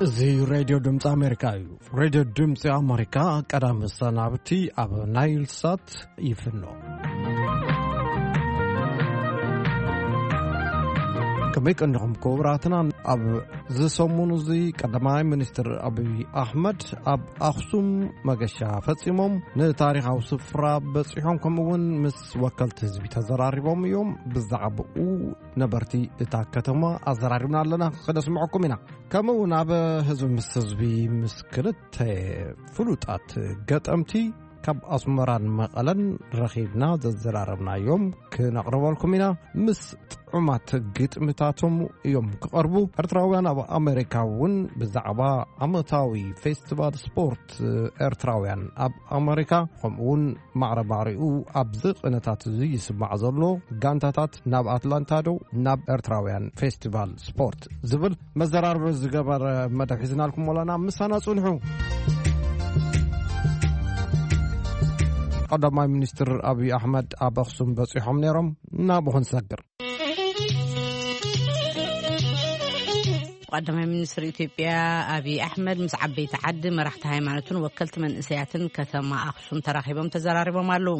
እዚ ሬድዮ ድምፂ ኣሜሪካ እዩ። ሬድዮ ድምፂ ኣሜሪካ ቀዳሚ ሰናብቲ ኣብ ናይል ሳት ይፍኖ። ከመይ ቀኒኹም ክቡራትና? ኣብ ዝሰሙን እዚ ቀዳማይ ሚኒስትር ኣብይ ኣሕመድ ኣብ ኣኽሱም መገሻ ፈጺሞም ንታሪኻዊ ስፍራ በጺሖም፣ ከምኡ እውን ምስ ወከልቲ ህዝቢ ተዘራሪቦም እዮም። ብዛዕባኡ ነበርቲ እታ ከተማ ኣዘራሪብና ኣለና፣ ክነስምዐኩም ኢና። ከምኡ እውን ኣብ ህዝቢ ምስ ህዝቢ ምስ ክልተ ፍሉጣት ገጠምቲ ካብ ኣስመራን መቐለን ረኺብና ዘዘራረብናዮም ክነቕርበልኩም ኢና። ምስ ጥዑማት ግጥምታቶም እዮም ክቐርቡ። ኤርትራውያን ኣብ ኣሜሪካ እውን ብዛዕባ ዓመታዊ ፌስቲቫል ስፖርት ኤርትራውያን ኣብ ኣሜሪካ፣ ከምኡ እውን ማዕረ ማዕሪኡ ኣብዚ ቅነታት እዚ ይስማዕ ዘሎ ጋንታታት ናብ ኣትላንታ ዶ ናብ ኤርትራውያን ፌስቲቫል ስፖርት ዝብል መዘራርቢ ዝገበረ መደብ ሒዝናልኩም ኣለና። ምሳና ጽንሑ። ቀዳማይ ሚኒስትር ኣብይ ኣሕመድ ኣብ ኣኽሱም በጺሖም ነይሮም። ናብኡ ክንሰግር። ቀዳማይ ሚኒስትር ኢትዮጵያ ኣብይ ኣሕመድ ምስ ዓበይቲ ዓዲ፣ መራሕቲ ሃይማኖትን ወከልቲ መንእሰያትን ከተማ ኣኽሱም ተራኺቦም ተዘራሪቦም ኣለዉ።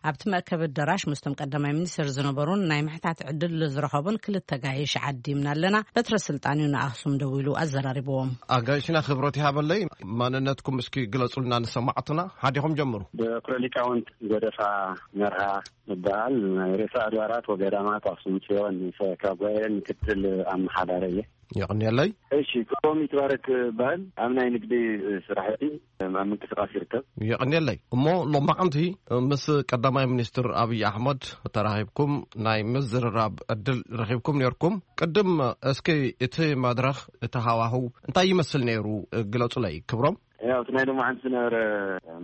ኣብቲ መእከቢ ኣዳራሽ ምስቶም ቀዳማይ ሚኒስትር ዝነበሩን ናይ ምሕታት ዕድል ዝረኸቡን ክልተ ጋይሽ ዓዲምና ኣለና። በትረ ስልጣን እዩ ንኣኽሱም ደዊሉ ኣዘራሪብዎም። ኣጋይሽና ክብረት ይሃበለይ፣ ማንነትኩም እስኪ ግለጹልና ንሰማዕትና፣ ሓዲኹም ጀምሩ። በኩረ ሊቃውንት ጎደፋ መርሃ እበሃል። ናይ ርእሰ ኣድባራት ወገዳማት ኣኽሱም ጽዮን፣ ካብ ጉባኤ ምክትል ኣመሓዳሪ እየ። የቕንየለይ። እሺ፣ ክብሮም ይትባረክ እበሃል። ኣብ ናይ ንግዲ ስራሕቲ ኣብ ምንቅስቃስ ይርከብ። የቕንየለይ። እሞ ሎማዓንቲ ምስ ቀዳማይ ሚኒስትር ኣብይ ኣሕመድ ተራኺብኩም ናይ ምዝርራብ ዕድል ረኺብኩም ነይርኩም። ቅድም እስኪ እቲ መድረኽ፣ እቲ ሃዋህው እንታይ ይመስል ነይሩ ግለጹለይ ክብሮም። ያው እቲ ናይ ሎማዓንቲ ዝነበረ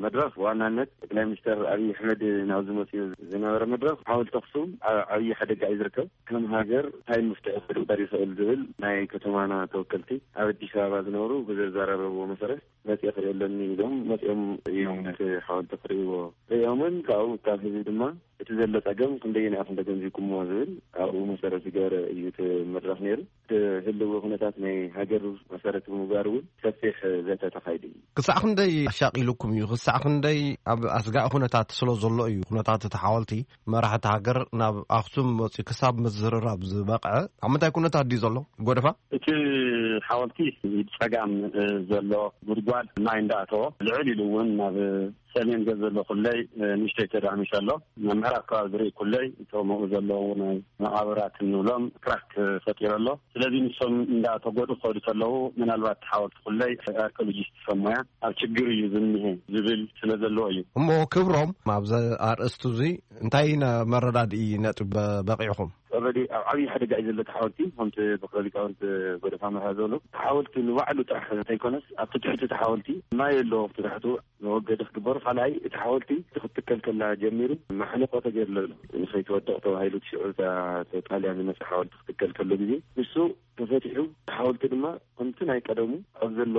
መድረኽ ብዋናነት ጠቅላይ ሚኒስትር ኣብይ ኣሕመድ ናብዚ መፅኡ ዝነበረ መድረኽ ሓወልቲ ኣኽሱም ኣብ ዓብዪ ሓደጋ እዩ ዝርከብ። ከም ሃገር እንታይ መፍትሒ ክግበር ይኽእል ዝብል ናይ ከተማና ተወከልቲ ኣብ ኣዲስ ኣበባ ዝነብሩ ብዘዘራረብዎ መሰረት መፅየ ክርኢ ኣለኒ ኢሎም መፅኦም እዮም ነቲ ሓወልቲ ክርእይዎ። ርእዮምን ካብኡ ካብ ህዝቢ ድማ እቲ ዘሎ ፀገም ክንደየናይ ኢኹም ተገንዚብኩምዎ ዝብል ኣብኡ መሰረት ዝገበረ እዩ እቲ መድረኽ ነይሩ። እቲ ህልዊ ኩነታት ናይ ሃገር መሰረት ብምግባር እውን ሰፊሕ ዘተ ተኻይዱ እዩ። ክሳዕ ክንደይ ኣሻቒሉኩም እዩ? ክሳዕ ክንደይ ኣብ ኣስጋኢ ኩነታት ስለ ዘሎ እዩ ኩነታት እቲ ሓወልቲ መራሕቲ ሃገር ናብ ኣኽሱም መፂኡ ክሳብ ምዝርራብ ዝበቕዐ? ኣብ ምንታይ ኩነታት ድዩ ዘሎ ጎደፋ? እቲ ሓወልቲ ብጸጋም፣ እ፣ ዘሎ ጉድጓድ ማይ እንዳኣተዎ፣ ልዕል ኢሉ እውን ናብ ሰሜን ገጽ ዘሎ ኩለይ፣ እ፣ ንእሽተይ ተዳሚሱ ኣሎ። ናብ ምዕራብ ከባቢ ዝርኢ ኩለይ፣ እቶም ኣብኡ ዘለዉ ናይ መቓብራት እንብሎም ክራክ ፈጢሩ ኣሎ። ስለዚ ንሶም እንዳተጎዱ ክኸዱ ከለዉ፣ ምናልባት ሓወልቲ ኩለይ ኣርኪኦሎጂስት ሰብ ሞያ ኣብ ችግር እዩ ዝኒሀ ዝብል ስለ ዘለዎ እዩ። እሞ ክብሮም፣ ኣብዚ ኣርእስቱ እዚ እንታይ ነ-፣ መረዳድኢ ነጥቢ በ-፣ በቂዕኹም? ኦልሬዲ ኣብ ዓብዪ ሓደጋ እዩ ዘሎ እቲ ሓወልቲ። ከምቲ በክረ ሊቃውንት ጎደፋ መርሃ ዝበሎ፣ እቲ ሓወልቲ ንባዕሉ ጥራሕ እንተይኮነስ፣ ኣብቲ ትሕቲ እቲ ሓወልቲ ማይ ኣሎ፣ ኣብቲ ታሕቱ መወገዲ ክግበሩ። ካልኣይ፣ እቲ ሓወልቲ ክትትከል ከላ ጀሚሩ ማሕለቆ ተገይርሉ ኣሎ። ንኸይትወድቕ ተባሂሉ፣ እቲ ሽዑ እታ ጣልያን ዝመጽእ ሓወልቲ ክትትከል ከሎ ግዜ፣ ንሱ ተፈቲሑ፣ እቲ ሓወልቲ ድማ ከምቲ ናይ ቀደሙ ኣብ ዘሎ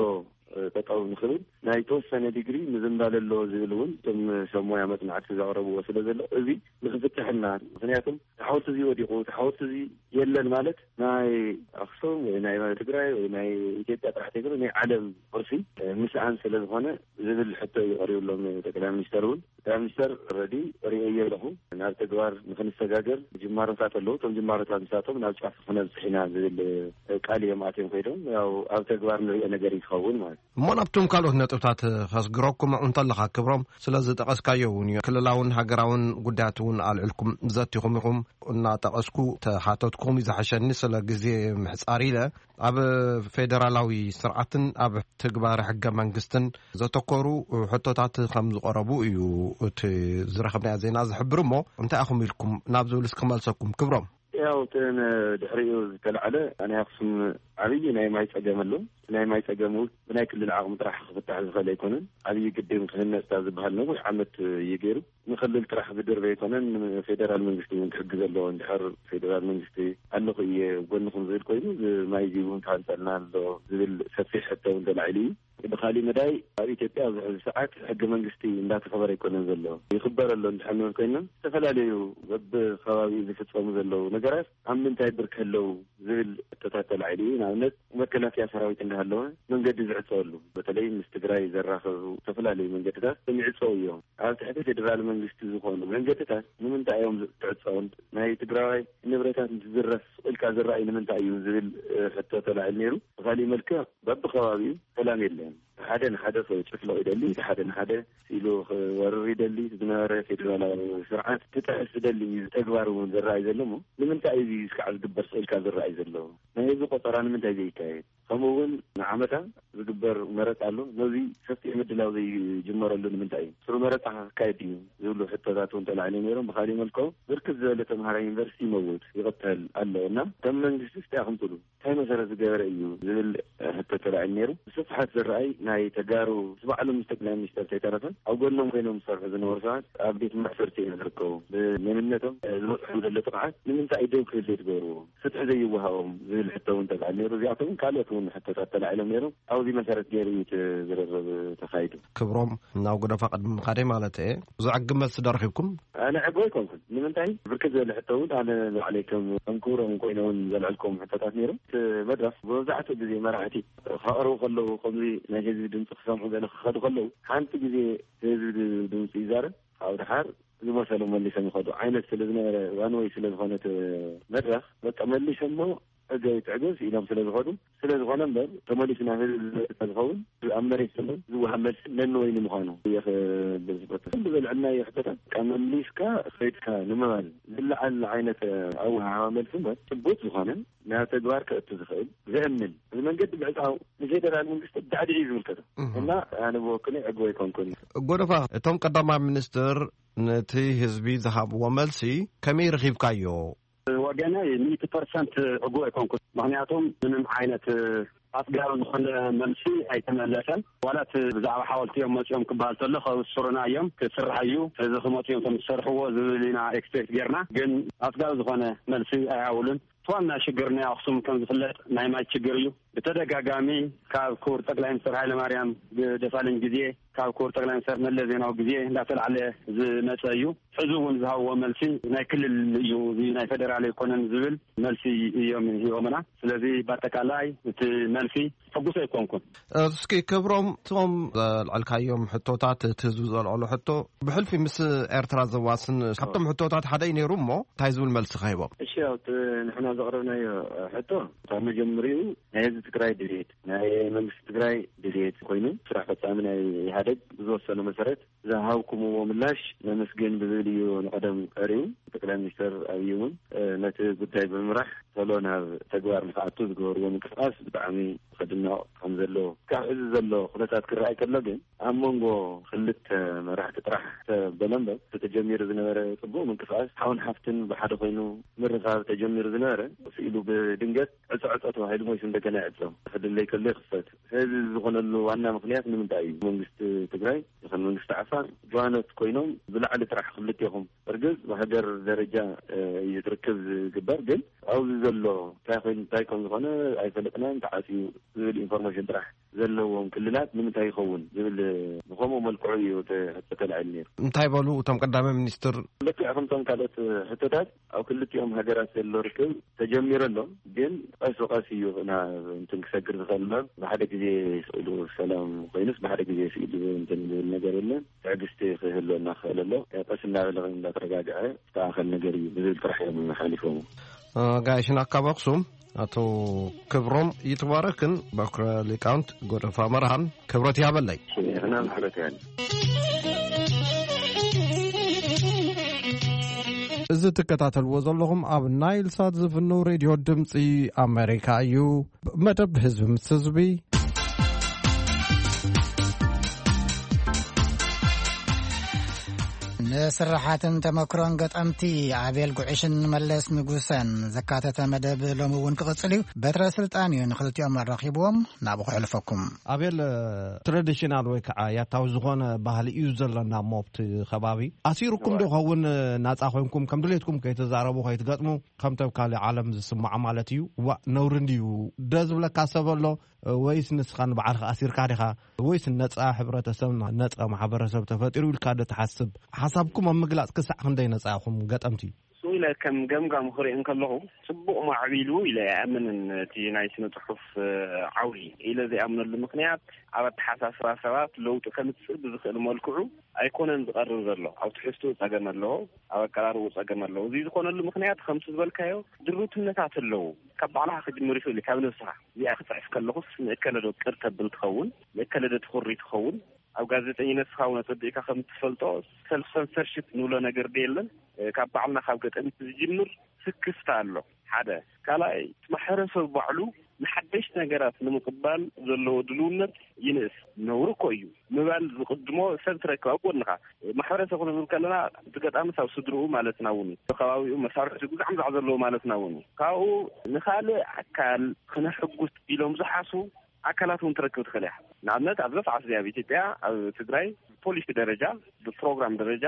ጠጠው ንኽብል ናይ ተወሰነ ዲግሪ ምዝንባለ ኣለዎ ዝብል እውን እቶም ሰብ ሞያ መጽናዕቲ ዘቕረብዎ ስለ ዘሎ፣ እዚ ንኽፍትሕ እና፣ ምኽንያቱም እቲ ሓወልቲ እዚ ወዲቑ፣ እቲ ሓወልቲ እዚ የለን ማለት ናይ ኣኽሱም ወይ ናይ ትግራይ ወይ ናይ ኢትዮጵያ ጥራሕ ዘይኮነ ናይ ዓለም ቅርሲ ምስኣን ስለ ዝኾነ ዝብል ሕቶ እዩ ቀሪብሎም ጠቅላይ ሚኒስተር እውን። ጠቅላይ ሚኒስተር ረዲ ርእየ ኣለኹ፣ ናብ ተግባር ንክንሰጋገር ጅማሮታት ኣለዉ፣ እቶም ጅማሮታት ንሳቶም ናብ ጫፍ ክነብፅሕ ኢና ዝብል ቃል እዮም ኣትዮም ከይዶም። ያው ኣብ ተግባር ንሪኦ ነገር እዩ ክኸውን ማለት እዩ። እሞ ናብቶም ካልኦት ነጥብታት ከስግረኩም እንተለኻ ክብሮም፣ ስለ ዝጠቐስካዮ እውን እዩ። ክልላውን ሃገራውን ጉዳያት እውን ኣልዕልኩም ዘቲኹም ኢኹም። እናጠቐስኩ ተሓተትኩም እዩ ዝሓሸኒ፣ ስለ ግዜ ምሕጻር ኢለ። ኣብ ፌደራላዊ ስርዓትን ኣብ ትግባረ ሕገ መንግስትን ዘተኮሩ ሕቶታት ከም ዝቐረቡ እዩ እቲ ዝረኸብናዮ ዜና ዝሕብር። እሞ እንታይ ኢኹም ኢልኩም ናብ ዝብል እስኪ ክመልሰኩም ክብሮም። ያው እተን ድሕሪኡ ዝተላዕለ ናይ ኣኽሱም ዓብዪ ናይ ማይ ጸገም ኣሎ። ናይ ማይ ጸገም እውን ብናይ ክልል ዓቕሚ ጥራሕ ክፍታሕ ዝኽእል ኣይኮነን። ዓብዪ ግድብ ክህነጽ ካብ ዝበሃል ነዊሕ ዓመት እዩ ገይሩ። ንክልል ጥራሕ ዝድርበ ኣይኮነን፣ ንፌደራል መንግስቲ እውን ክሕግዝ ኣለዎ። እንድሕር ፌደራል መንግስቲ ኣለኹ እየ ጎንኹም ዝብል ኮይኑ፣ እዚ ማይ እዚ እውን ክሃንጸልና ኣሎ ዝብል ሰፊሕ ሕቶ እውን ተላዒሉ እዩ። ብካሊእ መዳይ ኣብ ኢትዮጵያ ኣብዚ ሕዚ ሰዓት ሕገ መንግስቲ እንዳተኸበረ ኣይኮነን ዘሎ። ይኽበር ኣሎ እንድሕር ንብል ኮይና፣ ዝተፈላለዩ በብከባቢኡ ዝፍጸሙ ዘለዉ ነገራት ኣብ ምንታይ ብርኪ ኣለዉ ዝብል ሕቶታት ተላዒሉ እዩ። ንኣብነት መከላከያ ሰራዊት እንዳሃለወ መንገዲ ዝዕፀወሉ፣ በተለይ ምስ ትግራይ ዘራኸቡ ዝተፈላለዩ መንገድታት ይዕፀው እዮም። ኣብ ትሕቲ ፌዴራል መንግስቲ ዝኾኑ መንገድታት ንምንታይ እዮም ዝዕፀውን? ናይ ትግራዋይ ንብረታት እንትዝረፍ ኢልካ ዝረኣይ ንምንታይ እዩ ዝብል ሕቶ ተላዒሉ ነይሩ። ብካሊእ መልክዕ በብከባቢኡ ሰላም የለን። ሓደ ንሓደ ጭፍለቕ ይደሊ፣ ሓደ ንሓደ ኢሉ ክወርር ይደሊ። ዝነበረ ፌዴራላዊ ስርዓት ክጥሕስ ዝደሊ ተግባር እውን ዝረኣይ ዘሎ እሞ ንምንታይ እዚ እስካዕ ዝግበር ስእልካ ዝረኣይ ዘሎ? ናይ ህዝቢ ቆፀራ ንምንታይ ዘይካየድ? ከምኡ እውን ንዓመታ ዝግበር መረፃ ኣሎ። ነዚ ሰፊሕ ምድላው ዘይጅመረሉ ንምንታይ እዩ? ስሩ መረፃ ክካየድ እዩ ዝብሉ ሕቶታት እውን ተላዒሉ ነይሮም። ብካሊእ መልክዑ ብርክት ዝበለ ተምሃራይ ዩኒቨርሲቲ ይመውት ይቕተል ኣሎ እና ከም መንግስቲ ስቲያ ክምፅሉ እንታይ መሰረት ዝገበረ እዩ ዝብል ሕቶ ተላዒሉ ነይሩ። ብስፍሓት ዝረኣይ ናይ ተጋሩ ባዕሎም ምስ ጠቅላይ ሚኒስተር ተይተረፈ ኣብ ጎኖም ኮይኖም ዝሰርሑ ዝነበሩ ሰባት ኣብ ቤት ማእሰርቲ እዮም ዝርከቡ። ብመንነቶም ዝበፅሖም ዘሎ ጥቕዓት ንምንታይ ደው ክብል ዘይትገብርዎ? ፍትሒ ዘይወሃቦም ዝብል ሕቶ እውን ተላዕል ነይሩ። እዚኣቶም እውን ካልኦት እውን ሕቶታት ተላዒሎም ነይሮም። ኣብዚ መሰረት ገይሩ እዩ እቲ ዝርርብ ተኻይዱ። ክብሮም፣ ናብ ጎደፋ ቅድሚ ምኻደይ ማለት እየ፣ ዝዕግብ መልሲ ዶ ረኺብኩም? ኣነ ዕግበ ኣይኮንኩን። ንምንታይ ብርክት ዝበለ ሕቶ እውን ኣነ ንባዕለይ ከም ከም ክብሮም ኮይነ እውን ዘልዕልኩም ሕቶታት ነይሮም። እቲ መድረኽ መብዛሕትኡ ግዜ መራሕቲ ከቕርቡ ከለዉ፣ ከምዚ ናይ ህዝቢ ድምፂ ክሰምዑ ገለ ክኸዱ ከለዉ፣ ሓንቲ ግዜ ህዝቢ ድምፂ ይዛረብ፣ ኣብ ድሓር ዝመሰሉ መሊሶም ይኸዱ ዓይነት ስለ ዝነበረ፣ ዋን ወይ ስለ ዝኾነት መድረኽ፣ በቃ መሊሶሞ ዕገብ ትዕገብ ኢሎም ስለ ዝኸዱ፣ ስለ ዝኾነ እምበር ተመሊሱ ናብ ህዝቢ ዝመልስ ዝኸውን ኣብ መሬት ዘሎ ዝወሃብ መልሲ ነንወይኒ ምዃኑ እየ ክብል ዝፈቱ። ኩሉ ዘልዕልና ሕቶታት በቃ መሊስካ ከይድካ ንምባል ዝለዓል ዓይነት ኣወሃሃባ መልሲ እምበር ጭቡጥ ዝኾነ ናብ ተግባር ከእቱ ዝኽእል ዘእምን እዚ መንገዲ ምዕጻው ንፌደራል መንግስቲ ብዳዕዲ እዩ ዝምልከቶ እህ። እና ኣነ ብወክለይ ዕግበ ኣይኮንኩን። ጎደፋ፣ እቶም ቀዳማይ ሚኒስትር ነቲ ህዝቢ ዝሃብዎ መልሲ ከመይ ረኺብካዮ? ወገነይ ሚእቲ ፐርሰንት ዕጉብ ኣይኮንኩን። ምኽንያቱም ምንም ዓይነት ኣጽጋቢ ዝኾነ መልሲ ኣይተመለሰን። ዋላ እቲ ብዛዕባ ሓወልቲ እዮም መጺኦም ክበሃል ተሎ፣ ከብስሩና እዮም፣ ክስራሕ እዩ፣ እዚ ክመጹ እዮም፣ ከም ዝሰርሕዎ ዝብል ኢና ኤክስፔክት ጌርና። ግን ኣጽጋቢ ዝኾነ መልሲ ኣይሃቡሉን። እቲ ዋና ሽግር ናይ ኣኽሱም ከም ዝፍለጥ ናይ ማይ ችግር እዩ። ብተደጋጋሚ ካብ ክቡር ጠቅላይ ሚኒስትር ሃይለማርያም ደሳለኝ ግዜ፣ ካብ ክቡር ጠቅላይ ሚኒስትር መለስ ዜናዊ ግዜ እንዳተላዕለ ዝመጸ እዩ። ሕዚ እውን ዝሃብዎ መልሲ ናይ ክልል እዩ፣ እዚ ናይ ፌደራል ኣይኮነን ዝብል መልሲ እዮም ሂቦምና። ስለዚ በኣጠቃላይ እቲ መልሲ ሕጉስ ኣይኮንኩን። እስኪ ክብሮም፣ እቶም ዘልዐልካዮም ሕቶታት፣ እቲ ህዝቢ ዘልዐሎ ሕቶ ብሕልፊ ምስ ኤርትራ ዘዋስን ካብቶም ሕቶታት ሓደ እዩ ነይሩ እሞ እንታይ ዝብል መልሲ ከሂቦም? እሺ፣ ኣብቲ ንሕና ዘቕረብናዮ ሕቶ ካብ መጀመሪኡ ናይ ህዝቢ ትግራይ ድሌት፣ ናይ መንግስቲ ትግራይ ድሌት ኮይኑ ስራሕ ፈጻሚ ናይ ኢህኣደግ ብዝወሰኖ መሰረት ዝሃብኩምዎ ምላሽ ነመስግን ብዝብል እዩ ንቐደም ቀሪቡ። ጠቅላይ ሚኒስትር ኣብይ እውን ነቲ ጉዳይ ብምምራሕ ቶሎ ናብ ተግባር ንክኣቱ ዝገበርዎ ምንቅስቃስ ብጣዕሚ ከድነቕ ከም ዘለዎ ካብ ሕዚ ዘሎ ኩነታት ክረኣይ ከሎ ግን ኣብ መንጎ ክልተ መራሕቲ ጥራሕ ተበለ እምበር ተጀሚሩ ዝነበረ ጽቡቕ ምንቅስቃስ ሓውን ሓፍትን ብሓደ ኮይኑ ምርኻብ ተጀሚሩ ዝነበረ ስኢሉ ብድንገት ዕጾ ዕጾ ተባሂሉ ሞይሱ እንደገና ይዕጾ ክድለይ ከሎ ይኽፈት። እዚ ዝኾነሉ ዋና ምኽንያት ንምንታይ እዩ? መንግስቲ ትግራይ ይኹን መንግስቲ ዓፋር ጀዋነት ኮይኖም ብላዕሊ ጥራሕ ክልቴኹም እርግጥ ብሃገር ደረጃ እዩ ትርክብ ዝግበር ግን ኣብዚ ዘሎ እንታይ ኮይኑ እንታይ ከም ዝኾነ ኣይፈለጥናን ተዓፅዩ ዝብል ኢንፎርሜሽን ጥራሕ ዘለዎም ክልላት ንምንታይ ይኸውን ዝብል ብኸምኡ መልክዑ እዩ እቲ ሕቶ ተላዒሉ ነይሩ። እንታይ በሉ እቶም ቀዳማይ ሚኒስትር? ልክዕ ከምቶም ካልኦት ሕቶታት ኣብ ክልቲኦም ሃገራት ዘሎ ርክብ ተጀሚሩ ኣሎ፣ ግን ቀስ ብቀስ እዩ ናብ እንትን ክሰግር ዝኽእል እምበር ብሓደ ግዜ ስኢሉ ሰላም ኮይኑስ ብሓደ ግዜ ስኢሉ እንትን ዝብል ነገር የለን። ትዕግስቲ ክህልወና ክኽእል ኣሎ። ቀስ እናበለ እንዳተረጋግዐ ዝተኣኸል ነገር እዩ ብዝብል ጥራሕ እዮም ሓሊፎም። ጋይሽና ካብ ኣክሱም ኣቶ ክብሮም ይትባረክን በኩረ ሊቃውንት ጎደፋ መርሃን ክብረት ያበለይ። ንሕና ክብረት ያለ። እዚ ትከታተልዎ ዘለኹም ኣብ ናይል ሳት ዝፍኑ ሬድዮ ድምፂ ኣሜሪካ እዩ። መደብ ህዝቢ ምስ ህዝቢ። ንስራሓትን ተመክሮን ገጠምቲ ኣቤል ጉዕሽን መለስ ንጉሰን ዘካተተ መደብ ሎሚ እውን ክቕጽል እዩ። በትረ ስልጣን እዩ ንኽልቲኦም ኣራኺብዎም፣ ናብኡ ክሕልፈኩም። ኣቤል፣ ትራዲሽናል ወይ ከዓ ያታዊ ዝኾነ ባህሊ እዩ ዘለና እሞ ኣብቲ ከባቢ። ኣሲሩኩም ዶ እወ። ኸውን ናጻ ኮይንኩም ከም ድሌትኩም ከይተዛረቡ ከይትገጥሙ ከም ተብ ካልእ ዓለም ዝስማዖ ማለት እዩ? ዋእ፣ ነውሪ እንድዩ። ደ ዝብለካ ሰብ ኣሎ? ወይስ ንስኻ ንባዕልኻ ኣሲርካ ዲኻ? ወይስ ነጻ ሕብረተሰብ፣ ነጻ ማሕበረሰብ ተፈጢሩ ኢልካ ዶ ትሓስብ? ሓሳብኩም ኣብ ምግላጽ ክሳዕ ክንደይ ነጻ ኢኹም ገጠምቲ? እሱ ኢለ ከም ገምጋም ክርኢ እንከለኹ፣ ጽቡቕ ማዕቢሉ ኢለ ኣይኣምንን። እቲ ናይ ስነ ጽሑፍ ዓውዲ ኢለ ዘይኣምነሉ ምኽንያት፣ ኣብ ኣተሓሳስባ ሰባት ለውጢ ከምጽእ ብዝኽእል መልክዑ ኣይኮነን ዝቐርብ ዘሎ። ኣብ ትሕዝትኡ ጸገም ኣለዎ፣ ኣብ ኣቀራርብኡ ጸገም ኣለዎ። እዚ ዝኾነሉ ምኽንያት ከምቲ ዝበልካዮ ድሩትነታት ኣለዉ። ካብ ባዕልኻ ክጅምር ይኽእል እዩ፣ ካብ ነብስኻ። እዚኣ ክጽሕፍ ከለኹስ ንእከለ ዶ ቅር ተብል ትኸውን፣ ንእከለ ዶ ትኹሪ ትኸውን? ኣብ ጋዜጠኝነት ስኻ እውን ኣጸቢቕካ ከም እትፈልጦ፣ ሰልፍ ሰንሰርሺፕ ንብሎ ነገር ዶ የለን? ካብ ባዕልና ካብ ገጠምቲ ዝጅምር ስክፍታ ኣሎ። ሓደ። ካልኣይ፣ እቲ ማሕበረሰብ ባዕሉ ንሓደሽቲ ነገራት ንምቕባል ዘለዎ ድልውነት ይንእስ። ነውሪ እኮ እዩ ምባል ዝቕድሞ ሰብ ትረክብ ኣብ ጎንኻ። ማሕበረሰብ ክንብል ከለና፣ እቲ ገጣምስ ኣብ ስድርኡ ማለትና እውን እዩ። ከባቢኡ መሳርሕቲ ጉዛዕ ምዛዕ ዘለዎ ማለትና እውን እዩ። ካብኡ ንኻልእ ኣካል ክነሕጉስ ኢሎም ዝሓስቡ ኣካላት እውን ትረክብ ትኽእል እያ። ንኣብነት፣ ኣብዛ ሰዓት እዚኣ ኣብ ኢትዮጵያ፣ ኣብ ትግራይ፣ ብፖሊሲ ደረጃ፣ ብፕሮግራም ደረጃ፣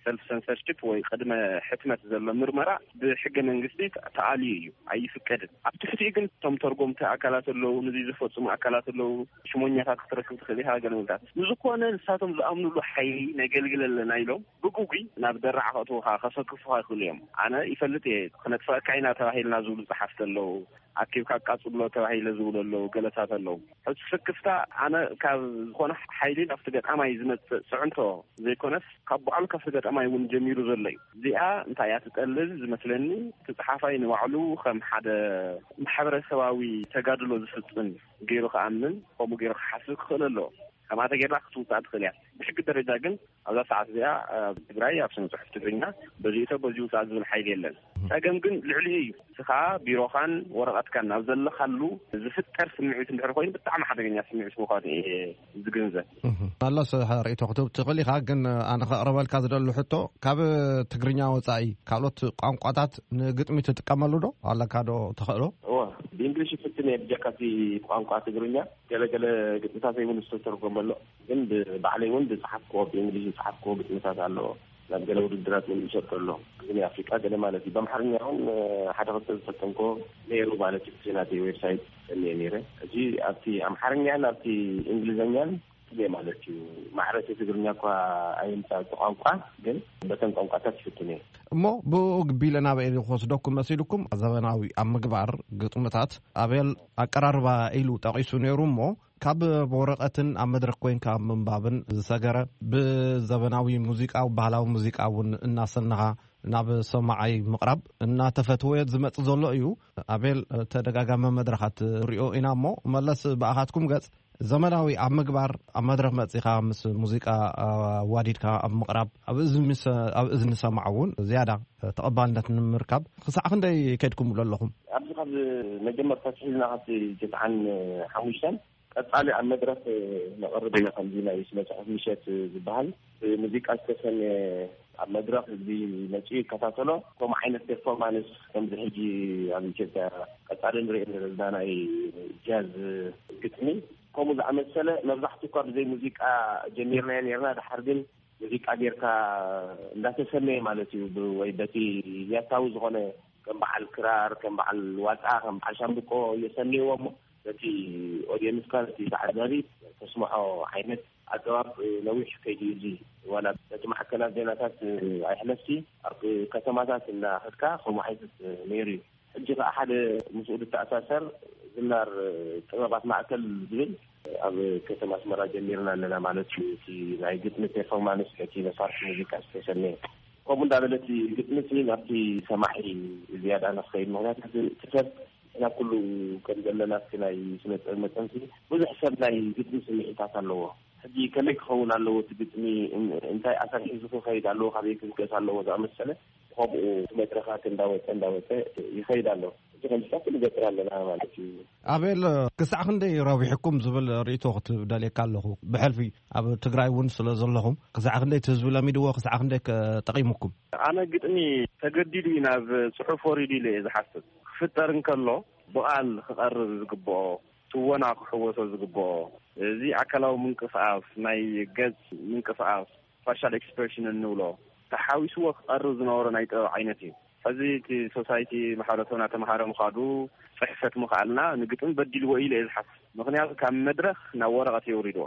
ሰልፍ ሰንሰርሺፕ ወይ ቅድመ ሕትመት ዘሎ ምርመራ ብሕገ መንግስቲ ተኣልዩ እዩ፣ ኣይፍቀድን። ኣብ ትሕቲኡ ግን እቶም ተርጎምቲ ኣካላት ኣለዉ፣ ንዚ ዝፈጽሙ ኣካላት ኣለዉ፣ ሽሞኛታት ክትረክብ ትኽእል ኢኻ፣ ገለ ምልታት። ንዝኾነ ንሳቶም ዝኣምኑሉ ሓይሊ ነገልግል ኣለና ኢሎም ብግጉይ ናብ ደራዕ ከእትዉኻ፣ ከሰክፉኻ ይኽእሉ እዮም። ኣነ ይፈልጥ እየ፣ ክነጥፍኣካ ኢና ተባሂልና ዝብሉ ጸሓፍቲ ኣለዉ። ኣኪብካ ኣቃጽሎ ተባሂለ ዝብሉ ኣለዉ፣ ገለታት ኣለዉ። ሕዚ ስክፍታ ኣነ ካብ ዝኾነ ሓይሊ ናብቲ ገጣማይ ዝመጽእ ጽዕንቶ ዘይኮነስ፣ ካብ ባዕሉ ካብቲ ገጣማይ እውን ጀሚሩ ዘሎ እዩ። እዚኣ እንታይ እያ ትጠልብ ዝመስለኒ፣ እቲ ጸሓፋይ ንባዕሉ ከም ሓደ ማሕበረሰባዊ ተጋድሎ ዝፍጽም ገይሩ ክኣምን፣ ከምኡ ገይሩ ክሓስብ ክኽእል ኣለዎ። ከምኣ ተጌርና ክትውጻእ ትኽእል እያ። ብሕጊ ደረጃ ግን ኣብዛ ሰዓት እዚኣ ኣብ ትግራይ ኣብ ስነ ጽሑፍ ትግርኛ በዚኡቶ በዚ ውጻእ ዝብል ሓይሊ የለን። ጸገም ግን ልዕሊኡ እዩ። እስኻ ቢሮኻን ወረቐትካን ናብ ዘለኻሉ ዝፍጠር ስምዒት እንድሕር ኮይኑ ብጣዕሚ ሓደገኛ ስምዒት ምዃኑ እየ ዝግንዘብ። መለስ፣ ርእይቶ ክትህብ ትኽእል ኢኻ፣ ግን ኣነ ከቕርበልካ ዝደሊ ሕቶ፣ ካብ ትግርኛ ወጻኢ ካልኦት ቋንቋታት ንግጥሚ ትጥቀመሉ ዶ ኣለካ ዶ? ተኽእሎ? እወ፣ ብእንግሊሽ ይፍትን እየ ብጀካ እቲ ቋንቋ ትግርኛ። ገለገለ ግጥምታተይ እውን ዝተተርጎመ ኣሎ። ግን ብባዕለይ እውን ዝጸሓፍክዎ፣ ብእንግሊሽ ዝጸሓፍክዎ ግጥምታት ኣሎ። ናብ ገለ ውድድራት እውን ይሰጥር ኣሎ። ግጥሚ ኣፍሪቃ ገለ ማለት እዩ። ብኣምሓርኛ እውን ሓደ ክልተ ዝፈተንክዎ ነይሩ ማለት እዩ። እቲ ናተይ ዌብሳይት እኒኤ ነይረ። እዚ ኣብቲ ኣምሓርኛን ኣብቲ እንግሊዝኛን ትግርኛ ማለት እዩ። ማዕረ እቲ ትግርኛ እኳ ኣይምጻእ እቲ ቋንቋ፣ ግን በተን ቋንቋታት ይፍትን እየ። እሞ ብኡ ግቢለ ናበይ ክወስደኩም መሲልኩም? ዘበናዊ ኣብ ምግባር ግጥምታት ኣቤል ኣቀራርባ ኢሉ ጠቒሱ ነይሩ እሞ፣ ካብ ወረቐትን ኣብ መድረኽ ኮይንካ ኣብ ምንባብን ዝሰገረ፣ ብዘበናዊ ሙዚቃ፣ ባህላዊ ሙዚቃ እውን እናሰነኻ ናብ ሰማዓይ ምቕራብ እናተፈትወ ዝመጽእ ዘሎ እዩ። ኣቤል፣ ተደጋጋሚ መድረኻት ሪኦ ኢና እሞ፣ መለስ ብኣኻትኩም ገጽ ዘመናዊ ኣብ ምግባር፣ ኣብ መድረኽ መጺኻ ምስ ሙዚቃ ኣዋዲድካ ኣብ ምቕራብ፣ ኣብ እዝኒ ምስ-፣ ኣብ እዝኒ ሰማዕ እውን ዝያዳ ተቐባልነት ንምርካብ ክሳዕ ክንደይ ከድኩምሉ ኣለኹም? ኣብዚ ካብ መጀመርታ ኣትሒዝና ካብቲ ትስዓን ሓሙሽተን ቀጻሊ ኣብ መድረኽ ነቕርብ ኢና። ከምዚ ናይ ስነ ጽሑፍ ምሸት ዝበሃል ብሙዚቃ ዝተሰነየ፣ ኣብ መድረኽ ህዝቢ መጺኡ ይከታተሎ። ከምኡ ዓይነት ፐርፎርማንስ ከምዚ ሕጂ ኣብ ኢትዮጵያ ቀጻሊ ንርኢ ዘለና ናይ ጃዝ ግጥሚ ከምኡ ዝኣመሰለ መብዛሕትኡ እኳ ብዘይ ሙዚቃ ጀሚርናዮ ነርና። ድሓር ግን ሙዚቃ ጌርካ እንዳተሰነየ ማለት እዩ። ብ-፣ ወይ በቲ ያታዊ ዝኾነ ከም በዓል ክራር፣ ከም በዓል ዋጣ፣ ከም በዓል ሻምብቆ የሰንይዎ እሞ፣ ነቲ ኦድየንስካ፣ ነቲ ተዓዛቢ ተስምዖ ዓይነት ኣገባብ ነዊሕ ከይዱ እዩ። እዚ ዋላ ነቲ ማዕከናት ዜናታት ኣይሕለፍሲ፣ ኣብ ከተማታት እናኸድካ ከምኡ ዓይነት ነይሩ እዩ። ሕጂ ከኣ ሓደ ምስኡ ዝተኣሳሰር ዝናር ጥበባት ማእከል ዝብል ኣብ ከተማ ኣስመራ ጀሚርና ኣለና ማለት እዩ። እቲ ናይ ግጥሚ ፐርፎርማንስ፣ ነቲ መሳርሒ ሙዚቃ ዝተሰነየ። ከምኡ እንዳበለ እቲ ግጥሚ እቲ ናብቲ ሰማዒ ዝያዳ ንክኸይድ፣ ምኽንያቱ እቲ ሰብ ናብ ኩሉ ከም ዘለና፣ እቲ ናይ ስነ ጥበብ መጠን ብዙሕ ሰብ ናይ ግጥሚ ስምዒታት ኣለዎ። ሕጂ ከመይ ክኸውን ኣለዎ እቲ ግጥሚ፣ እን-፣ እንታይ ኣሰር ሒዙ ክኸይድ ኣለዎ፣ ካበይ ክብገስ ኣለዎ ዝኣመሰለ፣ ከምኡ መድረኻት እንዳወፀ እንዳወፀ ይኸይድ ኣሎ። እዚ ከምዚታት ንገብር ኣለና ማለት እዩ። ኣቤል፣ ክሳዕ ክንደይ ረቢሕኩም ዝብል ርእይቶ ክትደልየካ ኣለኹ። ብሕልፊ ኣብ ትግራይ እውን ስለ ዘለኹም፣ ክሳዕ ክንደይ እቲ ህዝቢ ለሚድዎ፣ ክሳዕ ክንደይ ከ ጠቒሙኩም? ኣነ ግጥሚ ተገዲዱ እዩ ናብ ጽሑፍ ወሪዱ ኢለ እየ ዝሓስብ። ክፍጠር እንከሎ ብቓል ክቐርብ ዝግብኦ፣ ትወና ክሕወሶ ዝግብኦ፣ እዚ ኣካላዊ ምንቅስቓስ፣ ናይ ገጽ ምንቅስቓስ፣ ፋሻል ኤክስፕሬሽን እንብሎ፣ ተሓዊስዎ ክቐርብ ዝነበሮ ናይ ጥበብ ዓይነት እዩ። ሕዚ እቲ ሶሳይቲ፣ ማሕበረሰብና ተምሃረ ምኻዱ፣ ጽሕፈት ምኽኣልና ንግጥሚ በዲልዎ ኢለ እየ ዝሓስብ። ምኽንያቱ ካብ መድረኽ ናብ ወረቐት የውሪድዎ።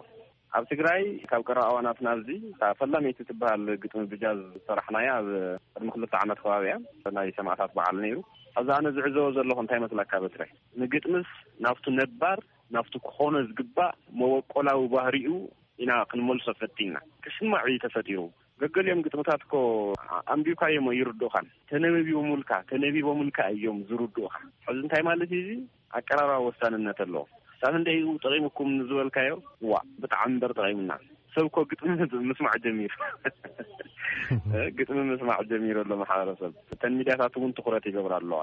ኣብ ትግራይ ካብ ቀረባ እዋናት ናብዚ እታ ፈላመይቲ ትበሃል ግጥሚ ብጃዝ ዝሰራሕናያ ኣብ ቅድሚ ክልተ ዓመት ከባቢ እያ። ናይ ሰማእታት በዓል ነይሩ። ሕዚ ኣነ ዝዕዘቦ ዘለኹ እንታይ መስለካ በትረ? ንግጥምስ ናብቱ ነባር፣ ናብቱ ክኾኖ ዝግባእ መበቆላዊ ባህሪኡ ኢና ክንመልሶ ፈቲንና። ክስማዕ እዩ ተፈጢሩ። ገገሊኦም ግጥምታት እኮ ኣንቢብካዮም ይርድኡኻን። ተነቢቦምልካ፣ ተነቢቦምልካ እዮም ዝርድኡኻ። ሕዚ እንታይ ማለት እዩ እዚ? ኣቀራርባ ወሳንነት ኣለዎ። ሳብ እንደይ ጠቒሙኩም ዝበልካዮ፣ ዋ፣ ብጣዕሚ እምበር ጠቒሙና። ሰብ እኮ ግጥሚ ምስማዕ ጀሚሩ። ግጥሚ ምስማዕ ጀሚሩ ኣሎ ማሕበረሰብ። እተን ሚድያታት እውን ትኹረት ይገብራ ኣለዋ።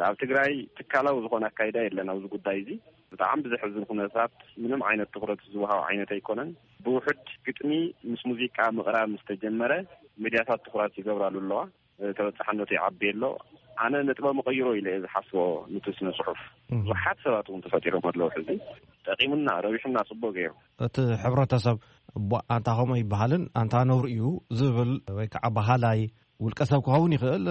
ኣብ ትግራይ ትካላዊ ዝኾነ ኣካይዳ የለን ኣብዚ ጉዳይ እዚ። ብጣዕሚ ብዘሕዝን ኩነታት ምንም ዓይነት ትኹረት ዝወሃብ ዓይነት ኣይኮነን። ብውሑድ ግጥሚ ምስ ሙዚቃ ምቕራብ ምስ ተጀመረ፣ ሚድያታት ትኹረት ይገብራሉ ኣለዋ። ተበጻሕነቱ ይዓቢ ኣሎ። ኣነ ነጥበ መቐይሮ ኢለ እየ ዝሓስቦ። ንቲ ስነ ጽሑፍ ብዙሓት ሰባት እውን ተፈጢሮም ኣለዉ። ሕዚ ጠቒሙና፣ ረቢሑና፣ ጽቡቅ ገይሩ። እቲ ሕብረተሰብ፣ "እቧ፣ ኣንታ ከምኡ ይበሃልን ኣንታ ነውሪ እዩ" ዝብል ወይ ከዓ በሃላይ ውልቀ ሰብ ክኸውን ይኽእል፣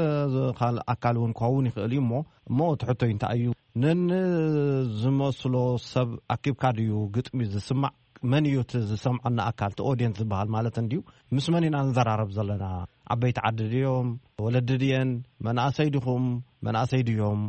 ካልእ ኣካል እውን ክኸውን ይኽእል እዩ። እሞ፣ እሞ እቲ ሕቶይ እንታይ እዩ? ነንዝመስሎ ሰብ ኣኪብካ ድዩ ግጥሚ ዝስማዕ? መን እዩ እቲ ዝሰምዐና ኣካል፣ እቲ ኦድየንስ ዝበሃል ማለት እንድዩ? ምስ መን ኢና ንዘራረብ ዘለና? ዓበይቲ ዓዲ ድዮም? ወለዲ ድየን? መናእሰይ ዲኹም? መናእሰይ ድዮም?